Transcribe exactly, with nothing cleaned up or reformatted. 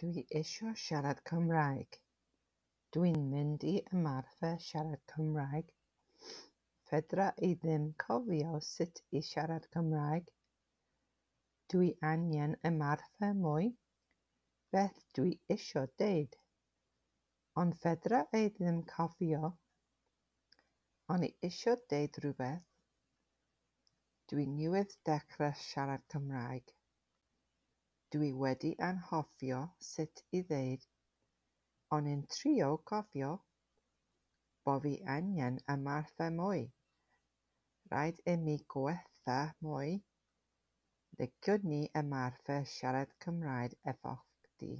Dwi isio siarad Cymraeg. Dwi'n mynd i ymarfer siarad Cymraeg. Fedra i ddim cofio sut i siarad Cymraeg. Dwi angen ymarfer mwy. Beth dwi isio deud? Ond fedra i ddim cofio. O'n i isio deud rhywbeth. Dwi newydd dechrau siarad Cymraeg. Dwi wedi anghofio sut i ddeud O'n i'n trio cofio. Bo fi angen ymarfer mwy. Rhaid i mi gwella mwy. Liciwn i ymarfer siarad Cymraeg efo chdi.